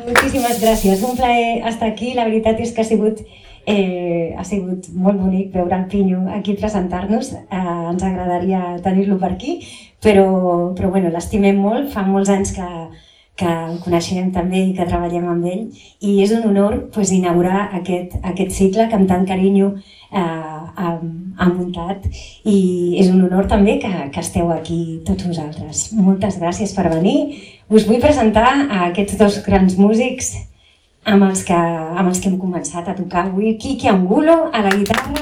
Moltíssimes gràcies. Un plaer estar aquí. La veritat és que ha sigut molt bonic veure el Pinyo aquí presentar-nos. Ens agradaria tenir-lo per aquí, però bueno, l'estimem molt. Fa molts anys que el coneixem també i que treballem amb ell, i és un honor inaugurar aquest cicle que amb tant carinyo ha muntat, i és un honor també que esteu aquí tots vosaltres. Moltes gràcies per venir. Us vull presentar a aquests dos grans músics amb els que hem començat a tocar avui. Quique Angulo a la guitarra,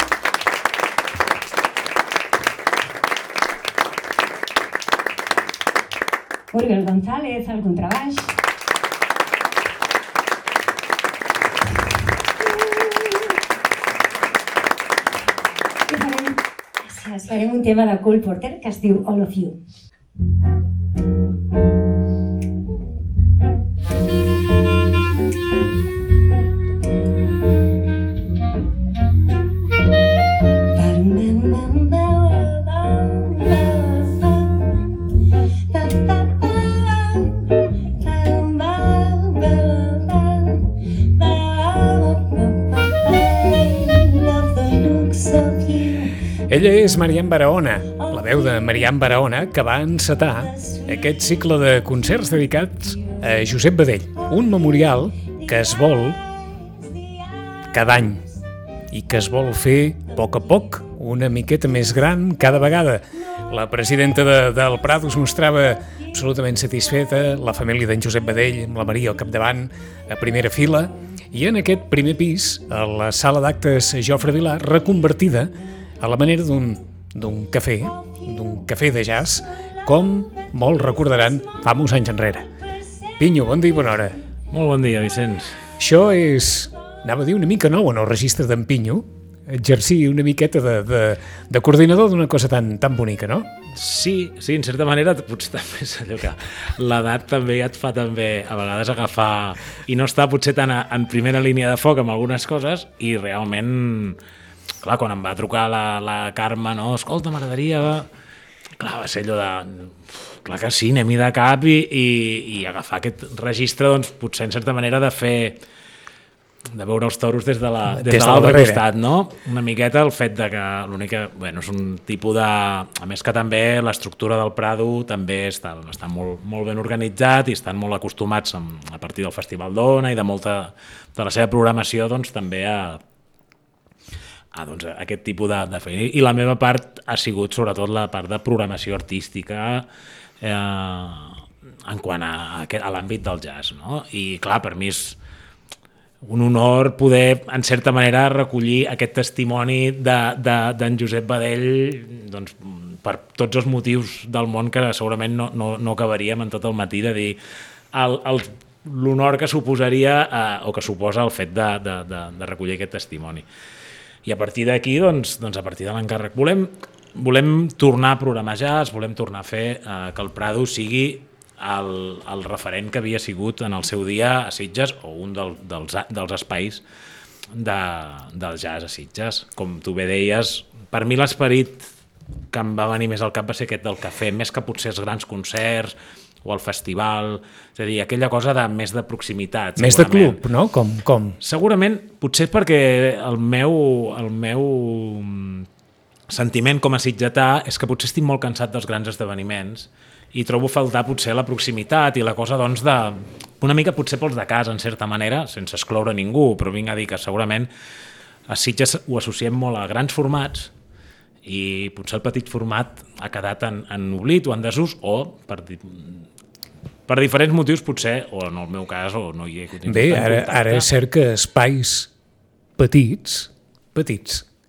Oriol González al contrabaix, i farem un tema de Cole Porter que es diu All of You. Ella és Marian Barahona, la veu de Marian Barahona, que va encetar aquest cicle de concerts dedicats a Josep Badell, un memorial que es vol cada any i que es vol fer a poc una miqueta més gran cada vegada. La presidenta del Prado es mostrava absolutament satisfeta, la família d'en Josep Badell, amb la Maria al capdavant, a primera fila, i en aquest primer pis, a la sala d'actes Jofre Vilà, reconvertida a la manera d'un cafè de jazz, com molts recordaran fa molts anys enrere. Pinyo, bon dia i bona hora. Molt bon dia, Vicenç. Això és, anava a dir, una mica nou en el registre d'en Pinyo, exercir una miqueta de coordinador d'una cosa tan bonica, no? Sí, en certa manera, potser també és allò que l'edat també et fa també a vegades agafar i no estar potser tan en primera línia de foc amb algunes coses, i realment, clar, quan em va trucar la Carme, no, escolta, m'agradaria... Clar, va ser allò de... Clar que sí, anem-hi de cap i agafar aquest registre, doncs, potser en certa manera de veure els toros des de l'altre costat, no? Una miqueta el fet de que l'única... Bueno, és un tipus de... A més que també l'estructura del Prado també està molt ben organitzat i estan molt acostumats a partir del Festival d'Ona i de molta de la seva programació, doncs, també doncs, aquest tipus de feina. I la meva part ha sigut sobretot la part de programació artística en quant a l'àmbit del jazz, no? I clar, per mi és un honor poder, en certa manera, recollir aquest testimoni d'en Josep Badell, doncs, per tots els motius del món que segurament no acabaríem en tot el matí de dir l'honor que suposaria o que suposa el fet de recollir aquest testimoni. I a partir d'aquí, doncs a partir de l'encàrrec, volem tornar a programar jazz, volem tornar a fer que el Prado sigui el referent que havia sigut en el seu dia a Sitges, o un dels espais del jazz a Sitges. Com tu bé deies, per mi l'esperit que em va venir més al cap va ser aquest del cafè, més que potser els grans concerts o el festival, és a dir, aquella cosa més de proximitat. Més de club, no? Com? Segurament, potser perquè el meu sentiment com a sitgetà és que potser estic molt cansat dels grans esdeveniments i trobo faltar potser la proximitat i la cosa, doncs, una mica potser pels de casa, en certa manera, sense excloure ningú, però vinc a dir que segurament a Sitges ho associem molt a grans formats i potser el petit format ha quedat en oblit o en desús, o per diferents motius potser, o en el meu cas, o no hi he continuat. Bé, ara és cert que espais petits,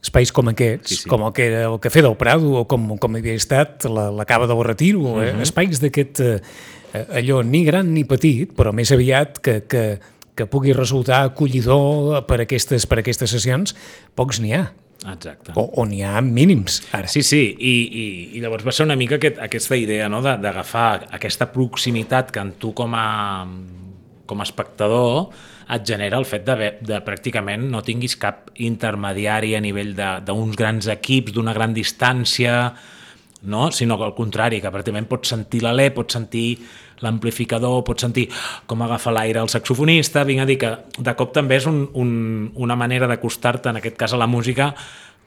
espais com aquests, sí. Com el que era el Cafè del Prado, o com havia estat la Cava del Retiro, espais d'aquest, allò ni gran ni petit, però més aviat que pugui resultar acollidor per aquestes sessions, pocs n'hi ha. Exacte. O n'hi ha mínims, ara. Sí, i llavors va ser una mica aquesta idea, no?, d'agafar aquesta proximitat que en tu com a espectador et genera el fet de pràcticament no tinguis cap intermediari a nivell d'uns grans equips, d'una gran distància, no? Sinó que al contrari, que pràcticament pots sentir l'alè, pots sentir l'amplificador, pots sentir com agafa l'aire el saxofonista. Vinc a dir que de cop també és una manera d'acostar-te, en aquest cas a la música,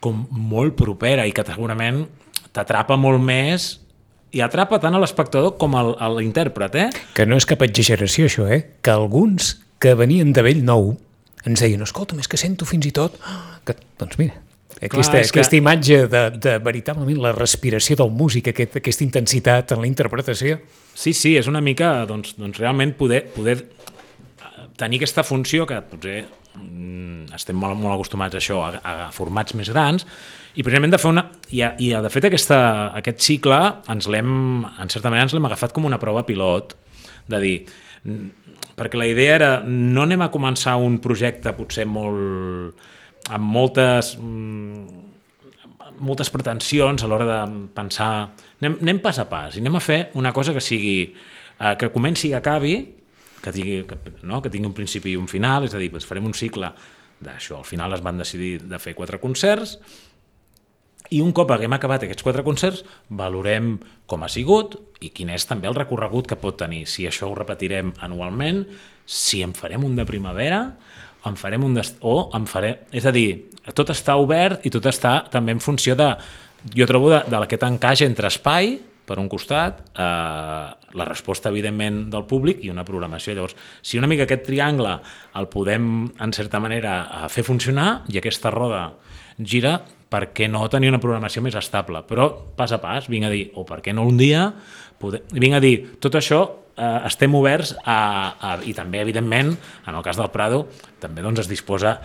com molt propera i que segurament t'atrapa molt més i atrapa tant a l'espectador com a l'intèrpret, Que no és cap exageració, això, que alguns que venien de vell nou ens deien, escolta, és que sento fins i tot... Que, doncs mira, aquesta imatge de veritablement la respiració del músic, aquesta intensitat en la interpretació. Sí, és una mica, doncs realment poder tenir aquesta funció que potser estem molt acostumats a això, a formats més grans, i precisament de fer de fet aquest cicle en certa manera ens l'hem agafat com una prova pilot, de dir, perquè la idea era no anem a començar un projecte potser amb moltes pretensions a l'hora de pensar, anem pas a pas i anem a fer una cosa que sigui que comenci i acabi, que tingui un principi i un final, és a dir, farem un cicle d'això. Al final es van decidir de fer 4 concerts i un cop haguem acabat aquests 4 concerts valorem com ha sigut i quin és també el recorregut que pot tenir, si això ho repetirem anualment, si en farem un de primavera, en farem un és a dir, tot està obert i tot està també en funció jo trobo d'aquest encaix entre espai, per un costat, la resposta, evidentment, del públic i una programació. Llavors, si una mica aquest triangle el podem, en certa manera, fer funcionar i aquesta roda gira, per què no tenir una programació més estable? Però, pas a pas, vinc a dir, o per què no un dia, vinc a dir, tot això estem oberts i també, evidentment, en el cas del Prado, també es disposa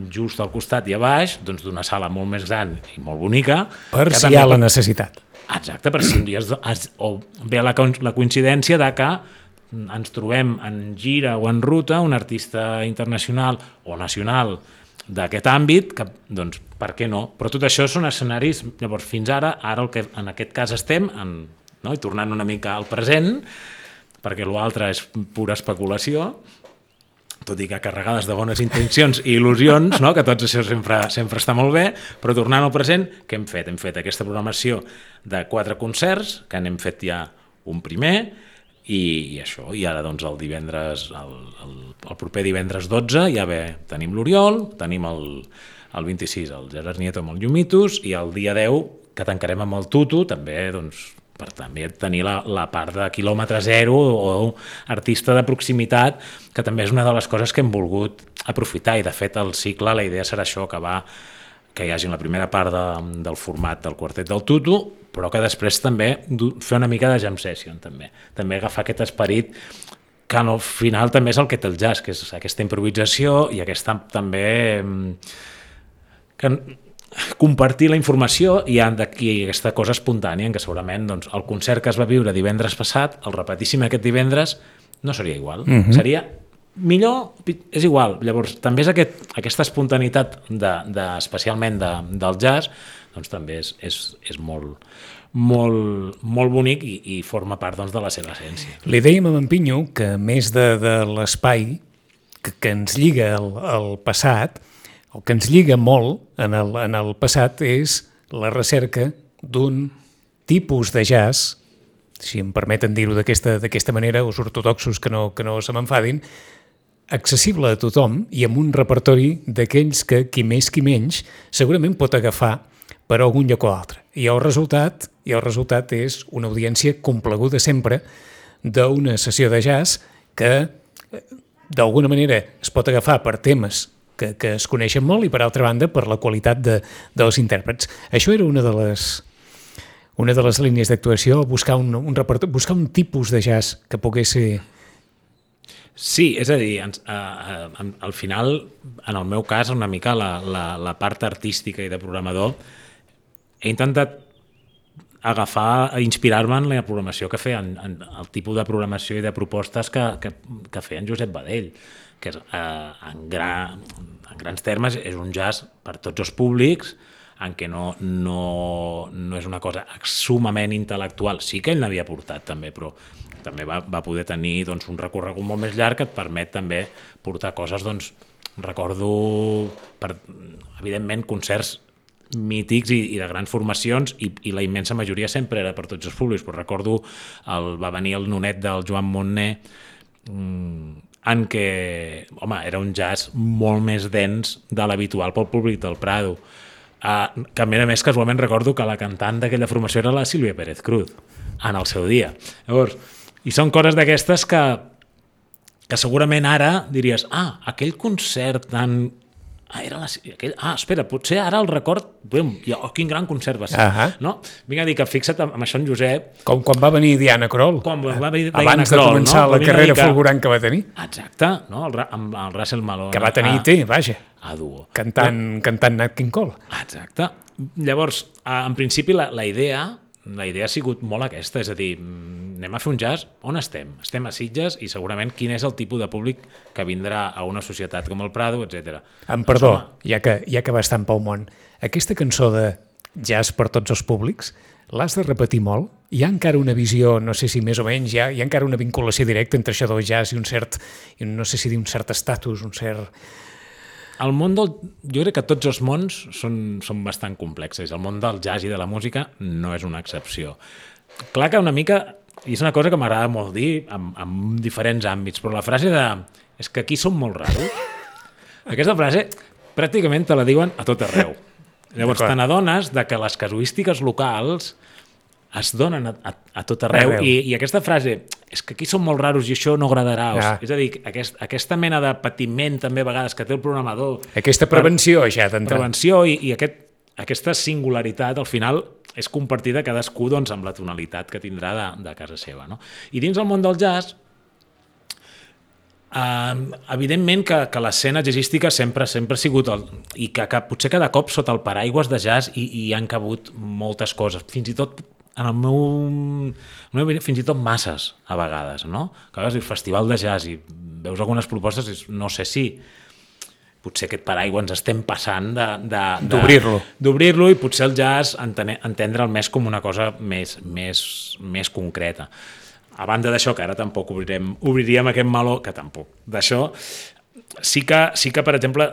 just al costat i a baix d'una sala molt més gran i molt bonica. Per si hi ha la necessitat. Exacte, per si un dia ve la coincidència de que ens trobem en gira o en ruta un artista internacional o nacional d'aquest àmbit, que, doncs, per què no? Però tot això són escenaris, llavors, fins ara el que en aquest cas estem, i tornant una mica al present, perquè l'altre és pura especulació, tot i que carregades de bones intencions i il·lusions, que tot això sempre està molt bé, però tornant al present, què hem fet? Hem fet aquesta programació de 4 concerts, que n'hem fet ja un primer, i això, i ara doncs el divendres, el proper divendres 12 ja tenim l'Oriol, tenim el 26 el Gerard Nieto amb el Llumitos, i el dia 10 que tancarem amb el Tutu, també doncs per també tenir la part de quilòmetre zero o artista de proximitat, que també és una de les coses que hem volgut aprofitar, i de fet el cicle, la idea serà això, que hi hagi la primera part del format del quartet del Tutu, però que després també fer una mica de jam session, també agafar aquest esperit que al final també és el que té el jazz, que és aquesta improvisació i aquesta també compartir la informació i aquesta cosa espontània, en què segurament el concert que es va viure divendres passat, el repetíssim aquest divendres, no seria igual. Seria millor, és igual. Llavors, també és aquesta espontaneïtat, especialment del jazz, doncs també és molt, molt, molt bonic i forma part de la seva essència. Li dèiem a en Pinyo que, a més de l'espai que ens lliga al passat, el que ens lliga molt en el passat és la recerca d'un tipus de jazz, si em permeten dir-ho d'aquesta manera, els ortodoxos que no se m'enfadin, accessible a tothom i amb un repertori d'aquells que qui més qui menys segurament pot agafar per algun lloc o altre. I el resultat és una audiència complaguda sempre d'una sessió de jazz que d'alguna manera es pot agafar per temes que es coneixen molt i, per altra banda, per la qualitat dels intèrprets. Això era una de les línies d'actuació, buscar un tipus de jazz que pogués ser... Sí, és a dir, al final, en el meu cas, una mica la part artística i de programador, he intentat inspirar-me en la programació que feien, el tipus de programació i de propostes que feia en Josep Badell, que en grans termes és un jazz per tots els públics, en què no és una cosa sumament intel·lectual. Sí que ell n'havia portat també, però també va poder tenir un recorregut molt més llarg que et permet també portar coses, recordo, evidentment, concerts mítics i de grans formacions, i la immensa majoria sempre era per tots els públics. Però recordo, va venir el nonet del Joan Montner, en què, home, era un jazz molt més dens de l'habitual pel públic del Prado. Que a més casualment recordo que la cantant d'aquella formació era la Sílvia Pérez Cruz en el seu dia. Llavors, i són coses d'aquestes que segurament ara diries, aquell concert tan... espera, potser ara el record, quin gran concert va ser. No? Vinc a dir que fixa't amb això en Josep. Com quan va venir Diana Kroll. Abans de començar la carrera fulgurant que va tenir. Exacte, no? amb el Russell Malone. Que va tenir vaja. A duo. Cantant Nat King Cole. Exacte. Llavors, en principi, la idea ha sigut molt aquesta, és a dir, anem a fer un jazz, on estem? Estem a Sitges i segurament quin és el tipus de públic que vindrà a una societat com el Prado, etc. Perdó, ja que va estar pel món, aquesta cançó de jazz per tots els públics, l'has de repetir molt? Hi ha encara una visió, no sé si més o menys, hi ha encara una vinculació directa entre això del jazz i un cert, no sé si dir un cert estatus, un cert... El món jo crec que tots els mons són bastant complexes. El món del jazz i de la música no és una excepció. Clar que una mica, i és una cosa que m'agrada molt dir en diferents àmbits, però la frase és que aquí som molt raros, aquesta frase pràcticament te la diuen a tot arreu. Llavors te n'adones que les casuístiques locals es donen a tot arreu. I aquesta frase, és que aquí som molt raros i això no agradarà. És a dir, aquesta mena de patiment també a vegades que té el programador. Aquesta prevenció ja d'entrar. Prevenció i aquesta singularitat al final és compartida cadascú amb la tonalitat que tindrà de casa seva. No? I dins el món del jazz, evidentment que l'escena jazzística sempre ha sigut i que potser cada cop sota el paraigües de jazz hi han cabut moltes coses, fins i tot en el meu fins i tot masses a vegades, no? Que a vegades el festival de jazz i veus algunes propostes i no sé si potser aquest paraigua ens estem passant d'obrir-lo i potser el jazz entendre'l més com una cosa més concreta. A banda d'això, que ara tampoc obriríem aquest meló, que tampoc d'això, sí que, per exemple,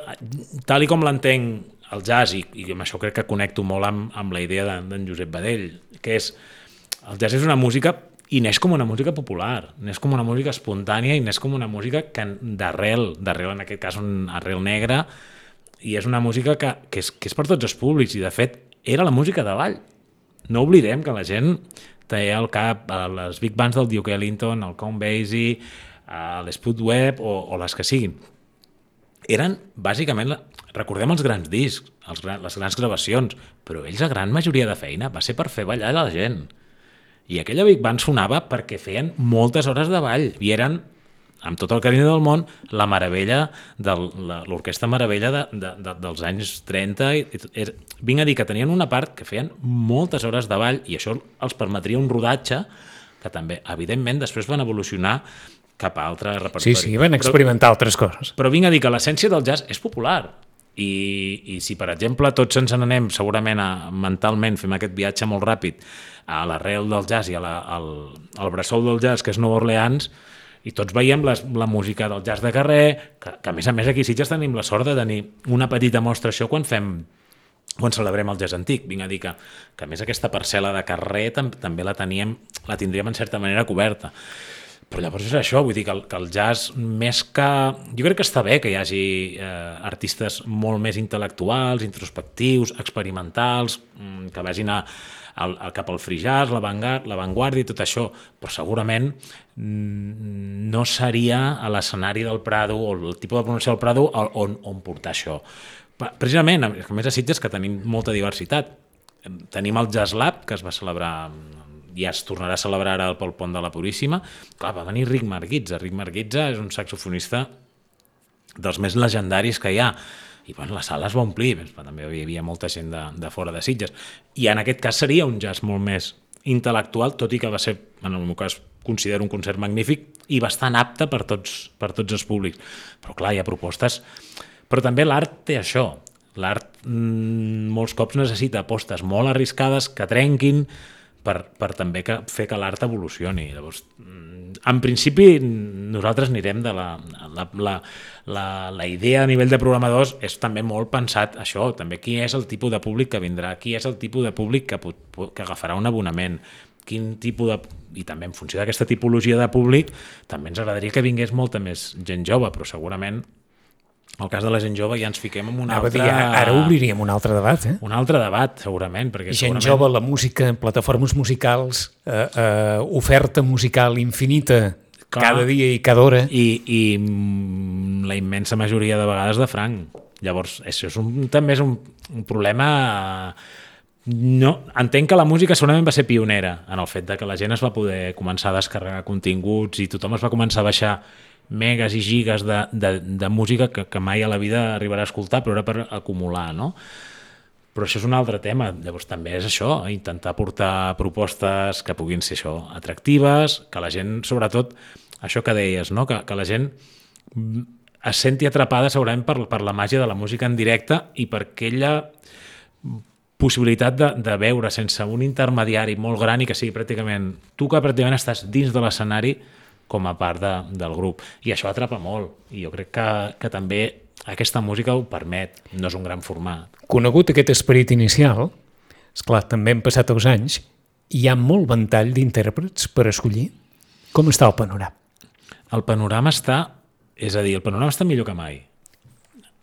tal i com l'entenc el jazz, i amb això crec que connecto molt amb la idea d'en Josep Badell, que és, el jazz és una música i neix com una música popular, neix com una música espontània i neix com una música d'arrel en aquest cas un arrel negre, i és una música que és per tots els públics, i de fet era la música de ball. No oblidem que la gent té al cap les big bands del Duke Ellington, el Count Basie, l'Spud Webb o les que siguin. Eren, bàsicament, recordem els grans discs, les grans gravacions, però ells, la gran majoria de feina, va ser per fer ballar la gent. I aquella big band sonava perquè feien moltes hores de ball, i eren, amb tot el carinyo del món, la meravella, l'orquestra meravella dels anys 30. Vinc a dir que tenien una part que feien moltes hores de ball, i això els permetria un rodatge que també, evidentment, després van evolucionar cap a altre repertori. Sí, van experimentar altres coses. Però vinc a dir que l'essència del jazz és popular. I si, per exemple, tots ens n'anem, segurament, mentalment, fem aquest viatge molt ràpid a l'arrel del jazz i al bressol del jazz, que és Nova Orleans, i tots veiem la música del jazz de carrer, que a més aquí a Sitges tenim la sort de tenir una petita mostra això quan celebrem el jazz antic. Vinc a dir que a més aquesta parcel·la de carrer també la tindríem en certa manera coberta. Però llavors és això, vull dir que el jazz, més que... Jo crec que està bé que hi hagi artistes molt més intel·lectuals, introspectius, experimentals, que vagin cap al free jazz, l'avantguarda i tot això, però segurament no seria a l'escenari del Prado o el tipus de pronunciació del Prado on portar això. Precisament, a més a Sitges, que tenim molta diversitat. Tenim el Jazz Lab, que es va celebrar... ja es tornarà a celebrar ara pel Pont de la Puríssima. Clar, va venir Rick Marguitza. Rick Marguitza és un saxofonista dels més legendaris que hi ha. I la sala es va omplir, també hi havia molta gent de fora de Sitges. I en aquest cas seria un jazz molt més intel·lectual, tot i que va ser, en el meu cas, considero un concert magnífic i bastant apte per tots els públics. Però clar, hi ha propostes. Però també l'art té això. L'art molts cops necessita apostes molt arriscades que trenquin per també fer que l'art evolucioni. Llavors, en principi nosaltres anirem de la idea a nivell de programadors és també molt pensat això, també qui és el tipus de públic que vindrà, qui és el tipus de públic que agafarà un abonament, quin tipus de... I també en funció d'aquesta tipologia de públic també ens agradaria que vingués molta més gent jove, però segurament el cas de la gent jove ja ens fiquem en un altre... Ara obriríem un altre debat, eh? Un altre debat, segurament. Perquè gent jove, la música, plataformes musicals, oferta musical infinita, cada dia i cada hora. I la immensa majoria de vegades de franc. Llavors, això també és un problema... No, entenc que la música segurament va ser pionera en el fet de que la gent es va poder començar a descarregar continguts i tothom es va començar a baixar megas i gigas de música que mai a la vida arribarà a escoltar, però era per acumular, no? Però això és un altre tema. Llavors també és això, intentar portar propostes que puguin ser això, atractives, que la gent, sobretot, això que deies, no? Que la gent es senti atrapada segurament per la màgia de la música en directe i per aquella possibilitat de veure sense un intermediari molt gran i que sigui pràcticament... Tu que pràcticament estàs dins de l'escenari com a part del grup. I això atrapa molt. I jo crec que també aquesta música ho permet. No és un gran format. Conegut aquest esperit inicial, esclar, també han passat els anys, hi ha molt ventall d'intèrprets per escollir. Com està el panorama? El panorama està... És a dir, el panorama està millor que mai.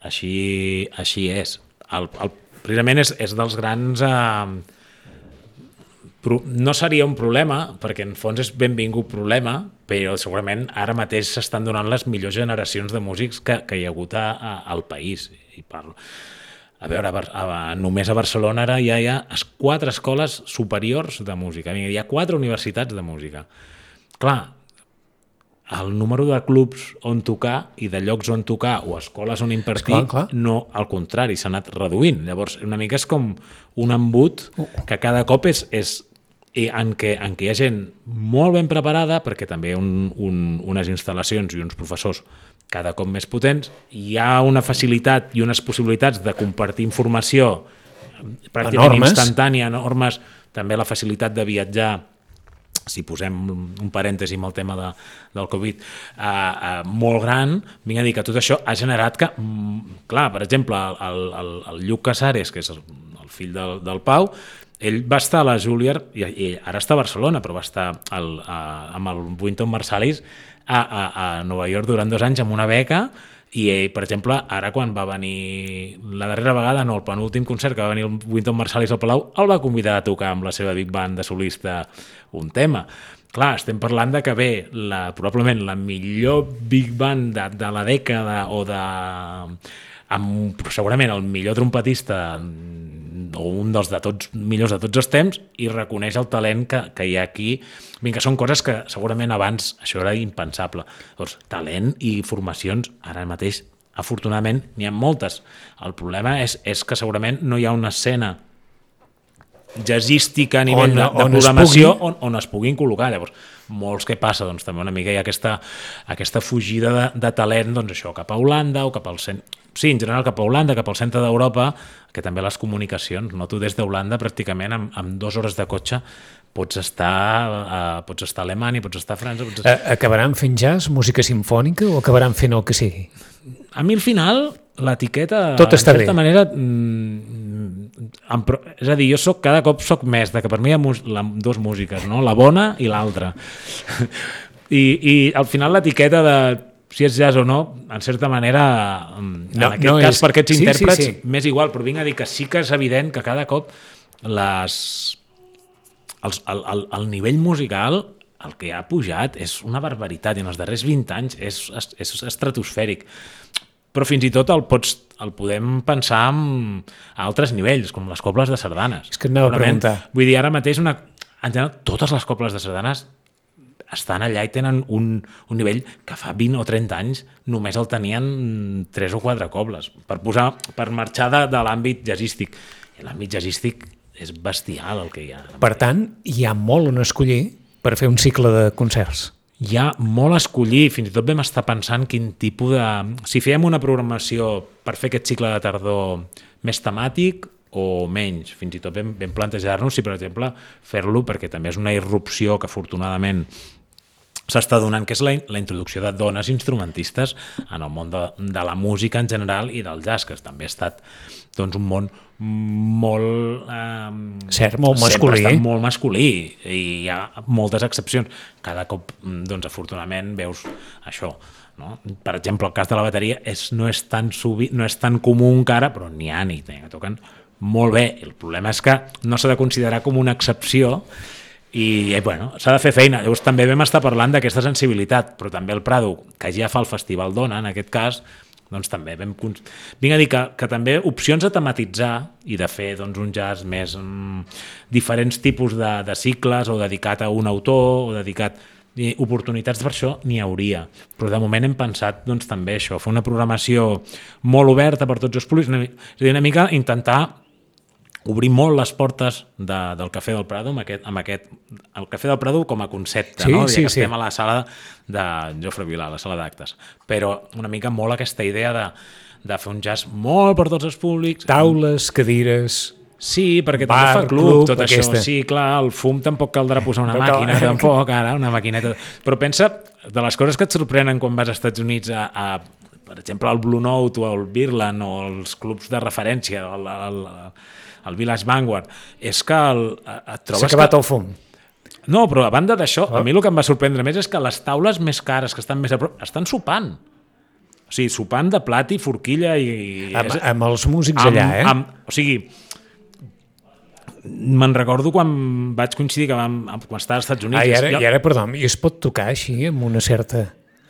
Així és. Precisament és dels grans... No seria un problema, perquè en fons és benvingut problema, però segurament ara mateix s'estan donant les millors generacions de músics que hi ha hagut al país. I parlo. A veure, només a Barcelona ara ja hi ha 4 escoles superiors de música. Hi ha 4 universitats de música. Clar, el número de clubs on tocar i de llocs on tocar o escoles on impartir, no, al contrari, s'ha anat reduint. Llavors, una mica és com un embut que cada cop és en què hi ha gent molt ben preparada, perquè també unes instal·lacions i uns professors cada cop més potents, hi ha una facilitat i unes possibilitats de compartir informació pràcticament instantània, enormes, també la facilitat de viatjar, si posem un parèntesi amb el tema del Covid, molt gran. Vinc a dir que tot això ha generat que, clar, per exemple, el Lluc Casares, que és el fill del Pau, ell va estar a la Juilliard, i ara està a Barcelona, però va estar amb el Wynton Marsalis a Nova York durant 2 anys amb una beca, i ell, per exemple, ara quan va venir la darrera vegada, no, el penúltim concert que va venir el Wynton Marsalis al Palau, el va convidar a tocar amb la seva big band de solista un tema. Clar, estem parlant de que ve probablement la millor big band de la dècada amb segurament el millor trompetista o un dels millors de tots els temps, i reconeix el talent que hi ha aquí. Vinga, són coses que segurament abans això era impensable. Doncs talent i formacions ara mateix, afortunadament, n'hi ha moltes. El problema és que segurament no hi ha una escena jazzística a nivell de programació on es puguin col·locar. Llavors, molts què passa? Doncs també una mica hi ha aquesta fugida de talent, doncs això, cap a Holanda o cap al centre. Sí, en general cap a Holanda, cap al centre d'Europa, que també les comunicacions, no? Tu des d'Holanda pràcticament amb 2 hores de cotxe pots estar a Alemanya, pots estar a França... Acabaran fent jazz, música simfònica, o acabaran fent el que sigui? A mi al final l'etiqueta, tot està en certa manera, és a dir, jo cada cop soc més de que per mi hi ha 2 músiques, no? La bona i l'altra. I al final l'etiqueta de si és jazz o no, en certa manera, en aquest cas, per aquests intèrprets, m'és igual, però vinc a dir que sí que és evident que cada cop el nivell musical, el que ha pujat, és una barbaritat, i en els darrers 20 anys és estratosfèric. Però fins i tot el podem pensar a altres nivells, com les cobles de sardanes. És que anava a preguntar. Vull dir, ara mateix, en general, totes les cobles de sardanes estan allà i tenen un nivell que fa 20 o 30 anys només el tenien 3 o 4 cobles. Per marxar de l'àmbit jazzístic. I l'àmbit jazzístic és bestial el que hi ha. Per tant, hi ha molt on escollir per fer un cicle de concerts. Hi ha molt a escollir, fins i tot vam estar pensant quin tipus de... Si fèiem una programació per fer aquest cicle de tardor més temàtic o menys, fins i tot vam plantejar-nos si, per exemple, fer-lo, perquè també és una irrupció que afortunadament s'està donant, que és la introducció de dones instrumentistes en el món de la música en general i del jazz, que també ha estat doncs, un món molt... Cert, molt masculí. Sempre molt masculí i hi ha moltes excepcions. Cada cop, doncs, afortunadament, veus això. No? Per exemple, el cas de la bateria no és tan comú encara, però n'hi ha que toquen molt bé. El problema és que no s'ha de considerar com una excepció i bueno, s'ha de fer feina. Llavors també vam estar parlant d'aquesta sensibilitat, però també el Prado, que ja fa el Festival Dona, en aquest cas, doncs també vinc a dir que també opcions a tematitzar i de fer doncs, un jazz més diferents tipus de cicles o dedicat a un autor o dedicat... oportunitats per això n'hi hauria, però de moment hem pensat doncs, també això, fer una programació molt oberta per tots els públics, és a dir, una mica intentar obrir molt les portes del Cafè del Prado el Cafè del Prado com a concepte, sí, no? Sí, que estem a la sala de Jofre Vilà, la sala d'actes, però una mica molt aquesta idea de fer un jazz molt per tots els públics, taules, cadires... Sí, perquè també fa club tot aquesta. Això. Sí, clar, el fum tampoc caldrà posar una màquina, tampoc, ara, una maquineta... Però pensa, de les coses que et sorprenen quan vas als Estats Units per exemple, al Blue Note o al Birland o els clubs de referència, el Village Vanguard, és que et trobes... S'ha acabat el fum. No, però a banda d'això, a mi el que em va sorprendre més és que les taules més cares, que estan més a prop, estan sopant. O sigui, sopant de plat i forquilla i... Amb els músics allà, o sigui... Me'n recordo quan vaig coincidir quan estava als Estats Units. I ara, perdó, i es pot tocar així amb una certa...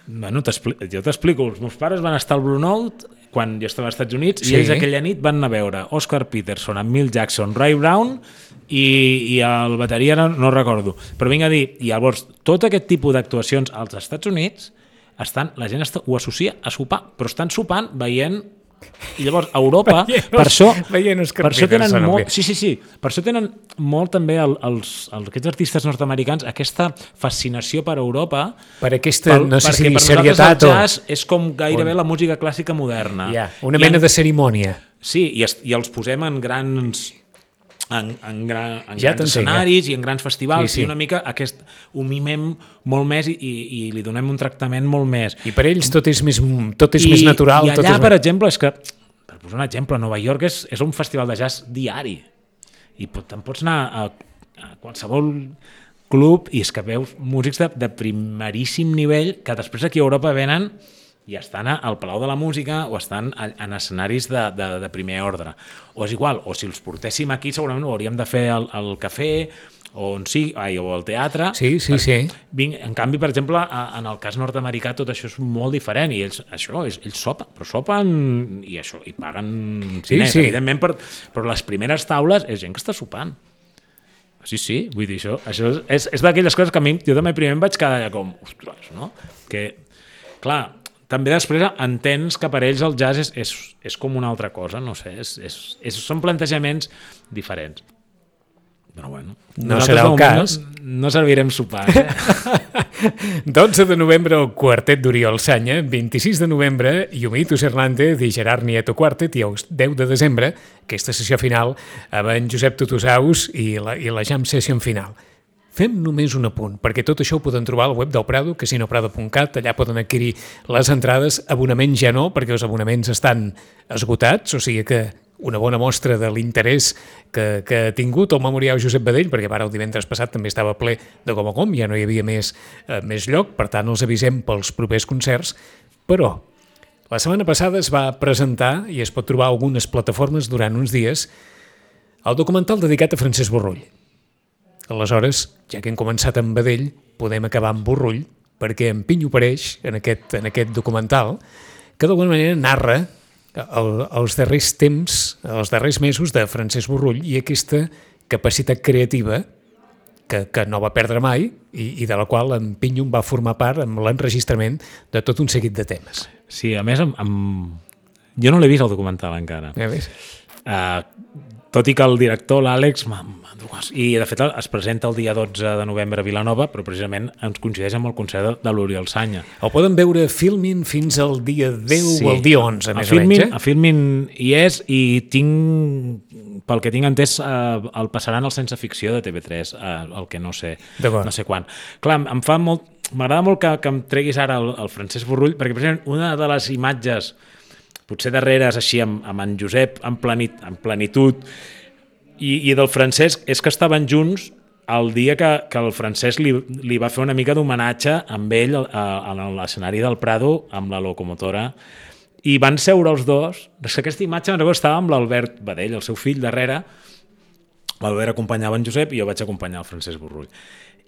Bueno, jo t'explico. Els meus pares van estar al Blue Note quan jo estava als Estats Units i ells aquella nit van anar a veure Oscar Peterson, amb Milt Jackson, Ray Brown i el bateria no recordo. Però vinc a dir, i llavors tot aquest tipus d'actuacions als Estats Units la gent ho associa a sopar, però estan sopant veient. I llavors a Europa per això tenen molt, per això tenen molt també aquests artistes nord-americans aquesta fascinació per Europa, per aquesta, no sé si serietat el jazz és com gairebé la música clàssica moderna, una mena de cerimònia, sí, i els posem en grans grans escenaris i en grans festivals, i una mica ho mimem molt més i li donem un tractament molt més. I per ells tot és més natural. I allà, per exemple, és que, per posar un exemple, a Nova York és un festival de jazz diari i te'n pots anar a qualsevol club i és que veus músics de primeríssim nivell que després aquí a Europa venen i estan al Palau de la Música o estan en escenaris de primer ordre. O és igual, o si els portéssim aquí segurament ho hauríem de fer al cafè o al teatre. Sí. En canvi, per exemple, en el cas nord-americà tot això és molt diferent i ells sopen, però sopen i paguen diners, evidentment, però les primeres taules és gent que està sopant. Sí, vull dir, això és d'aquelles coses que a mi, jo també primer em vaig quedar com, ostres, no? Que, clar, també després entens que per ells el jazz és com una altra cosa, no sé, són plantejaments diferents. Però bueno, no serà el cas. No servirem sopar. 12 de novembre el quartet d'Oriol Sanya, 26 de novembre Yumito Hernández i Gerard Nieto Quartet i el 10 de desembre aquesta sessió final amb en Josep Tutusaus i la jam session final. Fem només un apunt, perquè tot això ho poden trobar al web del Prado, casinoprado.cat, allà poden adquirir les entrades, abonaments ja no, perquè els abonaments estan esgotats, o sigui que una bona mostra de l'interès que ha tingut el Memorial Josep Badell, perquè ara el divendres passat també estava ple de com, ja no hi havia més lloc, per tant els avisem pels propers concerts, però la setmana passada es va presentar, i es pot trobar a algunes plataformes durant uns dies, el documental dedicat a Francesc Borrull. Aleshores, ja que hem començat amb Badell, podem acabar amb Borrull, perquè en Pinyo apareix en aquest documental, que d'alguna manera narra els darrers temps, els darrers mesos de Francesc Borrull i aquesta capacitat creativa que no va perdre mai i de la qual en Pinyo va formar part amb l'enregistrament de tot un seguit de temes. Sí, a més, jo no l'he vist el documental encara. Ja ves? Tot i que el director, l'Àlex, i de fet es presenta el dia 12 de novembre a Vilanova, però precisament ens coincideix amb el concert de l'Oriol Sanya. El poden veure a Filmin fins al dia 10 o al dia 11, més o menys. A Filmin hi és i pel que tinc entès, el passaran al Sense Ficció de TV3, el que no sé quan. Clar, em fa molt... m'agrada molt que em treguis ara el Francesc Borrull, perquè precisament una de les imatges potser darreres així amb en Josep en plenitud i del Francesc és que estaven junts el dia que el Francesc li va fer una mica d'homenatge amb ell a l'escenari del Prado amb la locomotora i van seure els dos. Aquesta imatge me'n recordo, estava amb l'Albert Badell, el seu fill, darrere. L'Albert acompanyava en Josep i jo vaig acompanyar el Francesc Borrull.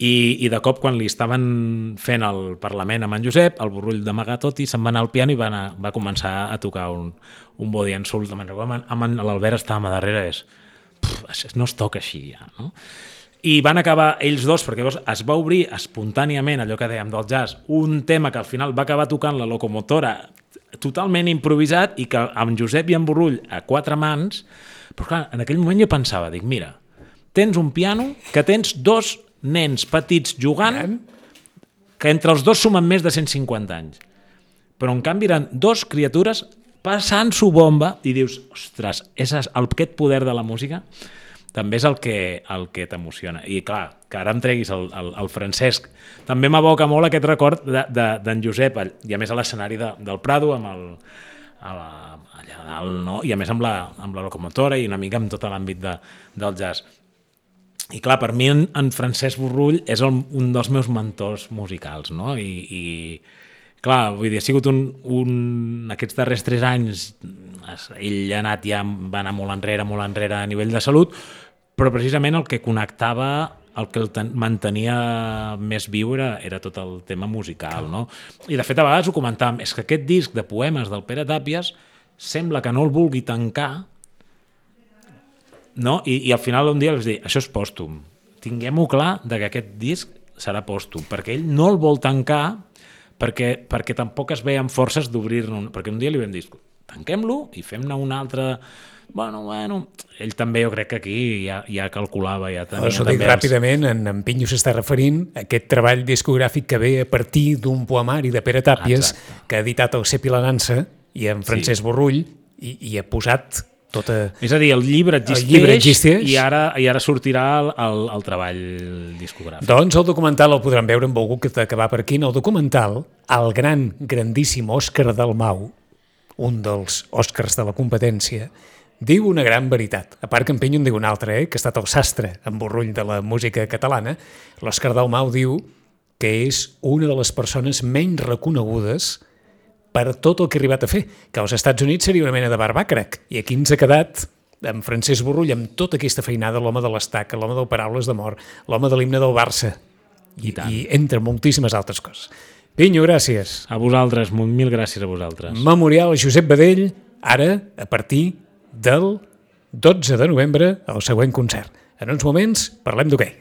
I de cop, quan li estaven fent el Parlament amb en Josep, el Borrull d'amagar tot i se'n va anar al piano i va començar a tocar un body and soul. L'Albert estava a darrere, no es toca així ja, no? I van acabar ells dos, perquè es va obrir espontàniament, allò que dèiem del jazz, un tema que al final va acabar tocant la locomotora totalment improvisat i que amb Josep i en Borrull a 4 mans, però clar, en aquell moment jo pensava, dic, mira, tens un piano que tens 2 nens petits jugant que entre els dos sumen més de 150 anys. Però en canvi eren 2 criatures passant-s'ho bomba i dius, ostres, aquest poder de la música també és el que t'emociona. I clar, que ara em treguis el Francesc. També m'evoca molt aquest record d'en Josep, i a més a l'escenari del Prado, allà dalt, no? I a més amb la locomotora i una mica amb tot l'àmbit del jazz. I clar, per mi en Francesc Borrull és un dels meus mentors musicals, no? I clar, vull dir, ha sigut aquests darrers 3 anys, ell va anar molt enrere a nivell de salut, però precisament el que connectava, el que el mantenia més viu era tot el tema musical, no? I de fet a vegades ho comentàvem, és que aquest disc de poemes del Pere Tàpies sembla que no el vulgui tancar, no? I al final un dia els dic, això és pòstum, tinguem-ho clar que aquest disc serà pòstum, perquè ell no el vol tancar perquè tampoc es veien forces d'obrir-ne, perquè un dia li vam dir, tanquem-lo i fem-ne un altre. Bueno, ell també jo crec que aquí ja calculava, ja tenia... Això dic ràpidament, en Pinyo s'està referint a aquest treball discogràfic que ve a partir d'un poemari de Pere Tàpies que ha editat el Cep i la Nansa i en Francesc Borrull i ha posat tota... És a dir, el llibre existeix i ara sortirà el treball discogràfic. Doncs el documental el podran veure amb algú que t'acabar per aquí. En el documental, el grandíssim Òscar Dalmau, un dels Òscars de la competència, diu una gran veritat. A part que en Pinyo en diu una altra, que ha estat el sastre en Borrull de la música catalana. L'Òscar Dalmau diu que és una de les persones menys reconegudes per tot el que ha arribat a fer, que als Estats Units seria una mena de barbàcrac, i aquí ens ha quedat amb Francesc Borrull amb tota aquesta feinada, l'home de l'estaca, l'home del Paraules d'amor, l'home de l'himne del Barça, i entre moltíssimes altres coses. Pinyo, gràcies. A vosaltres, mil gràcies a vosaltres. Memorial Josep Badell, ara, a partir del 12 de novembre, el següent concert. En uns moments parlem d'hoquei.